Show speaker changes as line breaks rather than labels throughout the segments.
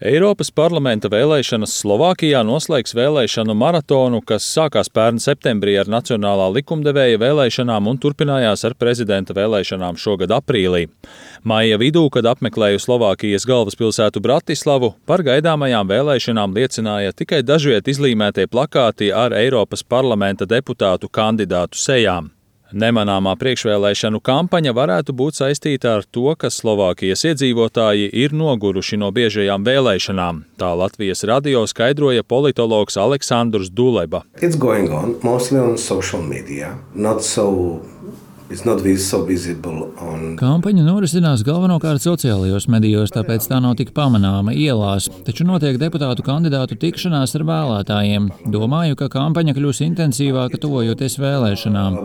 Eiropas parlamenta vēlēšanas Slovākijā noslēgs vēlēšanu maratonu, kas sākās pērn septembrī ar nacionālā likumdevēja vēlēšanām un turpinājās ar prezidenta vēlēšanām šogad aprīlī. Maija vidū, kad apmeklēju Slovākijas galvaspilsētu Bratislavu, par gaidāmajām vēlēšanām liecināja tikai dažviet izlīmētie plakāti ar Eiropas parlamenta deputātu kandidātu sejām. Nemanāmā priekšvēlēšanu kampaņa varētu būt saistīta ar to, ka Slovākijas iedzīvotāji ir noguruši no biežajām vēlēšanām. Tā Latvijas radio skaidroja politologs Aleksandrs Duleba.
Kampaņa norisinās galvenokārt sociālajos medijos, tāpēc tā nav tik pamanāma ielās, taču notiek deputātu kandidātu tikšanās ar vēlētājiem. Domāju, ka kampaņa kļūs intensīvāka tuvojoties vēlēšanām.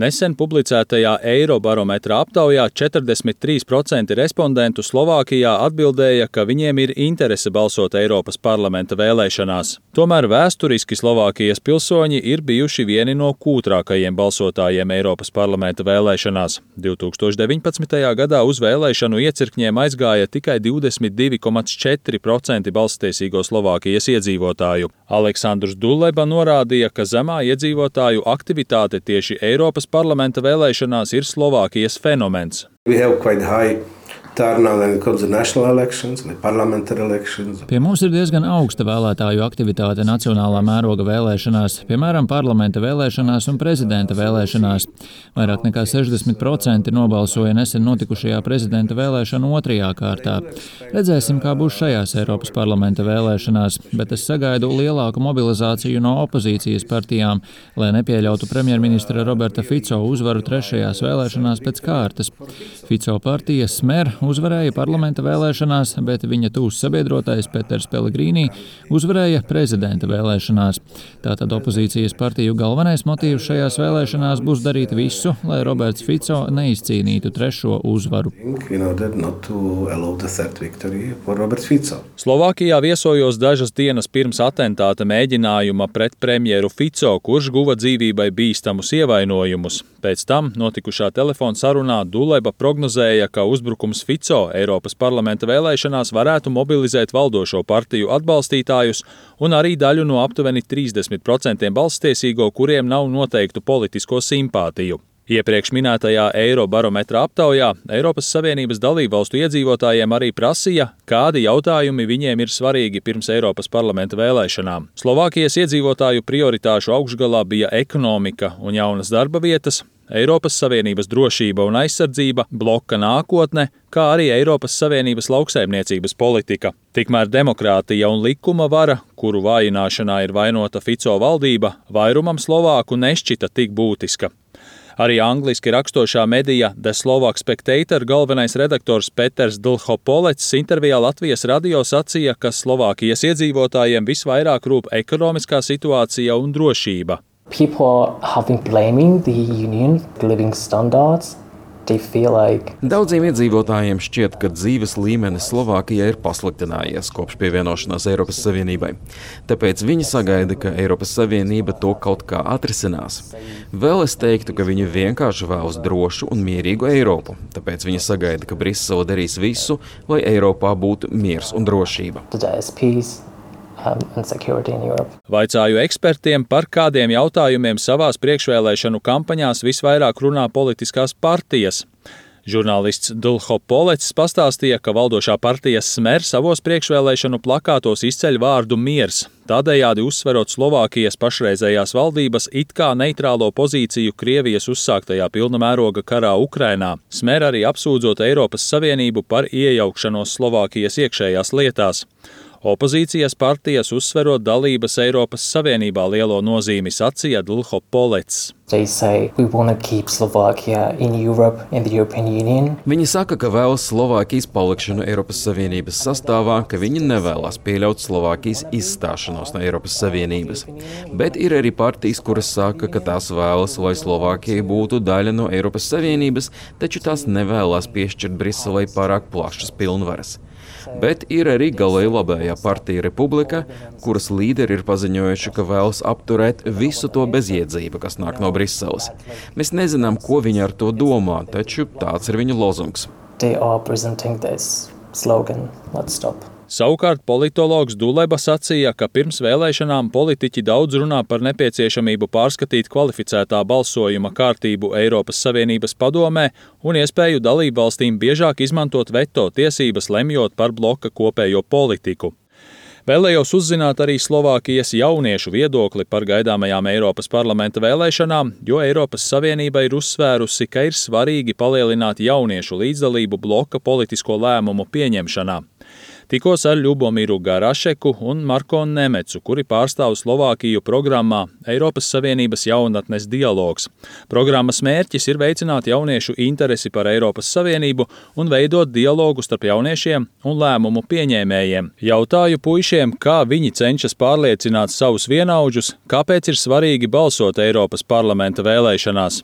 Nesen publicētajā Eirobarometra aptaujā 43% respondentu Slovākijā atbildēja, ka viņiem ir interese balsot Eiropas parlamenta vēlēšanās. Tomēr vēsturiski Slovākijas pilsoņi ir bijuši vieni no kūtrākajiem balsotājiem Eiropas parlamenta vēlēšanās. 2019. gadā uz vēlēšanu iecirkņiem aizgāja tikai 22,4% balsstiesīgo Slovākijas iedzīvotāju. Aleksandrs Duleba norādīja, ka zemā iedzīvotāju aktivitāte tieši Eiropas parlamenta vēlēšanās ir Slovākijas fenomens.
Pie mums ir diezgan augsta vēlētāju aktivitāte nacionālā mēroga vēlēšanās, piemēram, parlamenta vēlēšanās un prezidenta vēlēšanās. Vairāk nekā 60% nobalsoja nesen notikušajā prezidenta vēlēšanu otrajā kārtā. Redzēsim, kā būs šajās Eiropas parlamenta vēlēšanās, bet es sagaidu lielāku mobilizāciju no opozīcijas partijām, lai nepieļautu premjerministra Roberta Fico uzvaru trešajās vēlēšanās pēc kārtas. Fico partija Smer uzvarēja parlamenta vēlēšanās, bet viņa tūs sabiedrotais Peters Pellegrīnī uzvarēja prezidenta vēlēšanās. Tātad opozīcijas partiju galvenais motīvs šajās vēlēšanās būs darīt visu, lai Roberts Fico neizcīnītu trešo uzvaru.
Slovākijā viesojos dažas dienas pirms atentāta mēģinājuma pret premjeru Fico, kurš guva dzīvībai bīstamus ievainojumus. Pēc tam notikušā telefona sarunā Duleba prognozēja, ka uzbrukums Fico Eiropas parlamenta vēlēšanās varētu mobilizēt valdošo partiju atbalstītājus un arī daļu no aptuveni 30% balsstiesīgo, kuriem nav noteiktu politisko simpātiju. Iepriekš minētajā Eirobarometra aptaujā Eiropas Savienības dalībvalstu iedzīvotājiem arī prasīja, kādi jautājumi viņiem ir svarīgi pirms Eiropas parlamenta vēlēšanām. Slovākijas iedzīvotāju prioritāšu augšgalā bija ekonomika un jaunas darba vietas, Eiropas Savienības drošība un aizsardzība, bloka nākotne, kā arī Eiropas Savienības lauksaimniecības politika. Tikmēr demokrātija un likuma vara, kuru vājināšanā ir vainota Fico valdība, vairumam slovāku nešķita tik būtiska. Arī angliski rakstošā medija The Slovak Spectator galvenais redaktors Peters Dlhopolets intervijā Latvijas radio sacīja, ka Slovākijas iedzīvotājiem visvairāk rūp ekonomiskā situācija un drošība.
People have been blaming the union living standards.
Daudziem iedzīvotājiem šķiet, ka dzīves līmenis Slovākijā ir pasliktinājies kopš pievienošanās Eiropas Savienībai. Tāpēc viņi sagaida, ka Eiropas Savienība to kaut kā atrisinās. Vēl es teiktu, ka viņi vienkārši vēlas drošu un mierīgu Eiropu. Tāpēc viņi sagaida, ka Brisele darīs visu, lai Eiropā būtu miers un drošība.
Vaicāju ekspertiem, par kādiem jautājumiem savās priekšvēlēšanu kampaņās visvairāk runā politiskās partijas. Žurnālists Dlhopolets pastāstīja, ka valdošā partija Smer savos priekšvēlēšanu plakātos izceļ vārdu miers, tādējādi uzsverot Slovākijas pašreizējās valdības it kā neitrālo pozīciju Krievijas uzsāktajā pilna mēroga karā Ukrainā. Smer arī apsūdzot Eiropas Savienību par iejaukšanos Slovākijas iekšējās lietās. Opozīcijas partijas uzsverot dalības Eiropas Savienībā lielo nozīmi, sacīja Dlhopolets.
Viņi saka, ka vēlas Slovākijas palikšanu Eiropas Savienības sastāvā, ka viņi nevēlas pieļaut Slovākijas izstāšanos no Eiropas Savienības. Bet ir arī partijas, kuras saka, ka tās vēlas, lai Slovākija būtu daļa no Eiropas Savienības, taču tās nevēlas piešķirt Briselei pārāk plašas pilnvaras. Bet ir arī galēji labējā partija Republika, kuras līderi ir paziņojuši, ka vēlas apturēt visu to bezjēdzību, kas nāk no Briseles. Mēs nezinām, ko viņi ar to domā, taču tāds ir viņu lozungs.
slogan, let's stop.
Savukārt politologs Duleba sacīja, ka pirms vēlēšanām politiķi daudz runā par nepieciešamību pārskatīt kvalificētā balsojuma kārtību Eiropas Savienības padomē un iespēju dalībvalstīm biežāk izmantot veto tiesības, lemjot par bloka kopējo politiku. Vēlējos uzzināt arī Slovākijas jauniešu viedokli par gaidāmajām Eiropas parlamenta vēlēšanām, jo Eiropas Savienība ir uzsvērusi, ka ir svarīgi palielināt jauniešu līdzdalību bloka politisko lēmumu pieņemšanā. Tikos ar Ļubomiru Garašeku un Marko Nemecu, kuri pārstāv Slovākiju programmā Eiropas Savienības jaunatnes dialogs. Programmas mērķis ir veicināt jauniešu interesi par Eiropas Savienību un veidot dialogu starp jauniešiem un lēmumu pieņēmējiem. Jautāju puišiem, kā viņi cenšas pārliecināt savus vienaudžus, kāpēc ir svarīgi balsot Eiropas parlamenta vēlēšanās.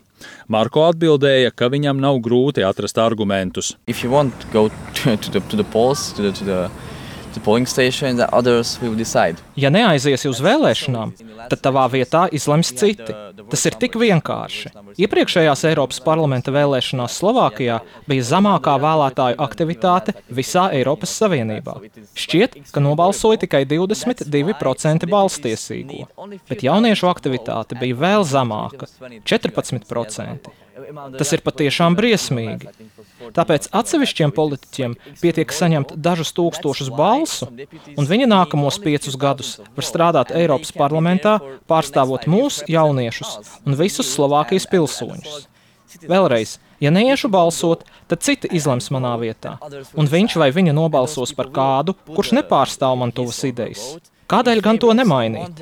Marko atbildēja, ka viņam nav grūti atrast argumentus.
If you want to go to the polls, to the polling station, the others will decide.
Ja neaiziesi uz vēlēšanām, tad tavā vietā izlems citi. Tas ir tik vienkārši. Iepriekšējās Eiropas parlamenta vēlēšanās Slovākijā bija zemākā vēlētāju aktivitāte visā Eiropas Savienībā. Šķiet, ka nobalsoja tikai 22% balstiesīgo, bet jauniešu aktivitāte bija vēl zemāka – 14%. Tas ir patiešām briesmīgi. Tāpēc atsevišķiem politiķiem pietiek saņemt dažus tūkstošus balsu, un viņi nākamos 5 gadus var strādāt Eiropas parlamentā, pārstāvot mūsu jauniešus un visus Slovākijas pilsoņus. Vēlreiz, ja neiešu balsot, tad citi izlems manā vietā, un viņš vai viņa nobalsos par kādu, kurš nepārstāv man tuvas idejas. Kādēļ gan to nemainīt?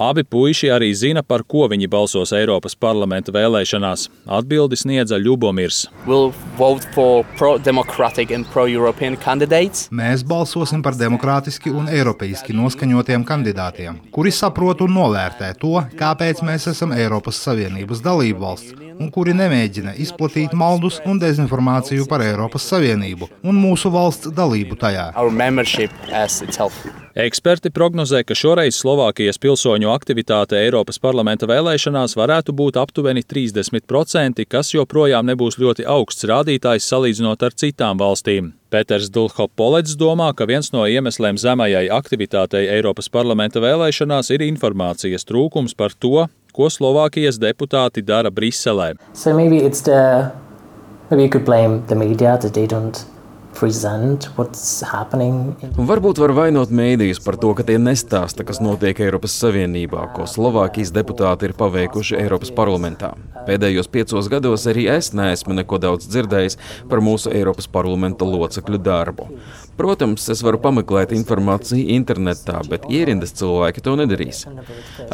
Abi puiši arī zina, par ko viņi balsos Eiropas parlamenta vēlēšanās. Atbildi sniedza Ļubomirs.
Mēs balsosim par demokrātiski un eiropeiski noskaņotiem kandidātiem, kuri saprot un novērtē to, kāpēc mēs esam Eiropas Savienības dalībvalsts, un kuri nemēģina izplatīt maldus un dezinformāciju par Eiropas Savienību un mūsu valsts dalību tajā.
Eksperti prognozē, ka šoreiz Slovākijas pilsoņu aktivitāte Eiropas parlamenta vēlēšanās varētu būt aptuveni 30%, kas joprojām nebūs ļoti augsts rādītājs salīdzinot ar citām valstīm. Peters Dulhopolets domā, ka viens no iemesliem zemajai aktivitātei Eiropas parlamenta vēlēšanās ir informācijas trūkums par to, ko Slovākijas deputāti dara Briselē.
So maybe you could blame the media that they don't present what's happening.
Varbūt var vainot mēdījus par to, ka tie nestāsta, kas notiek Eiropas Savienībā, ko Slovākijas deputāti ir paveikuši Eiropas parlamentā. Pēdējos 5 gados arī es neesmu neko daudz dzirdējis par mūsu Eiropas parlamenta locekļu darbu. Protams, es varu pameklēt informāciju internetā, bet ierindas cilvēki to nedarīs.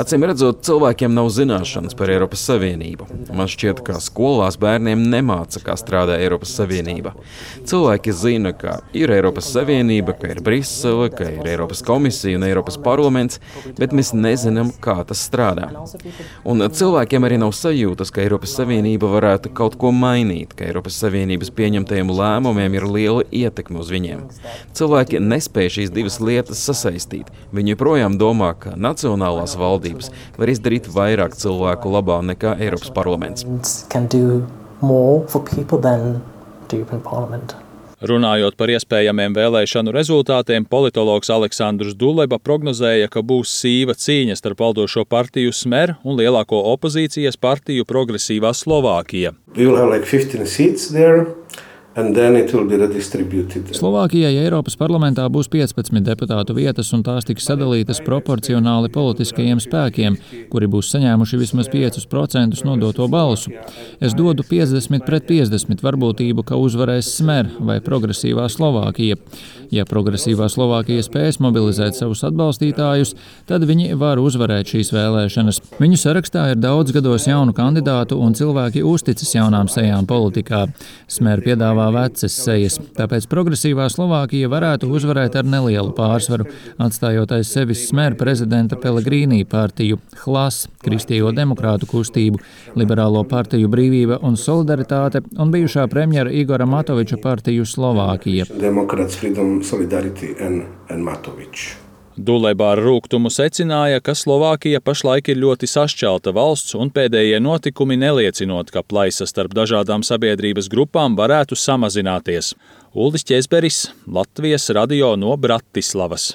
Acīm redzot, cilvēkiem nav zināšanas par Eiropas Savienību. Man šķiet, ka skolās bērniem nemāca, kā strādā Eiropas Savienība. Cilvēki zina, ka ir Eiropas Savienība, ka ir Brisele, ka ir Eiropas komisija un Eiropas parlaments, bet mēs nezinām, kā tas strādā. Un cilvēkiem arī nav sajūtas, ka Eiropas Savienība varētu kaut ko mainīt, ka Eiropas Savienības pieņemtajiem lēmumiem ir liela ietekme uz viņiem. Cilvēki nespēj šīs divas lietas sasaistīt. Viņi joprojām domā, ka nacionālās valdības var izdarīt vairāk cilvēku labā nekā Eiropas parlaments.
Runājot par iespējamiem vēlēšanu rezultātiem, politologs Aleksandrs Duleba prognozēja, ka būs sīva cīņa starp valdošo partiju Smer un lielāko opozīcijas partiju Progresīvā Slovākija.
Slovākijai Eiropas parlamentā būs 15 deputātu vietas, un tās tiks sadalītas proporcionāli politiskajiem spēkiem, kuri būs saņēmuši vismaz 5% nodoto balsu. Es dodu 50-50 varbūtību, ka uzvarēs Smer vai Progresīvā Slovākija. Ja Progresīvā Slovākija spēs mobilizēt savus atbalstītājus, tad viņi var uzvarēt šīs vēlēšanas. Viņu sarakstā ir daudz gados jaunu kandidātu, un cilvēki uzticas jaunām sejām politikā. Smer piedāvā vecas sejas, tāpēc Progresīvā Slovākija varētu uzvarēt ar nelielu pārsvaru, atstājot aiz sevis Smer prezidenta Pellegrīnī partiju, Hlas, Kristīgo demokrātu kustību, Liberālo partiju Brīvība un Solidaritāte un bijušā premjera Igora Matoviča partiju Slovākija.
Duleba ar rūgtumu secināja, ka Slovākija pašlaik ir ļoti sašķelta valsts un pēdējie notikumi neliecinot, ka plaisa starp dažādām sabiedrības grupām varētu samazināties. Uldis Ķezberis, Latvijas radio no Bratislavas.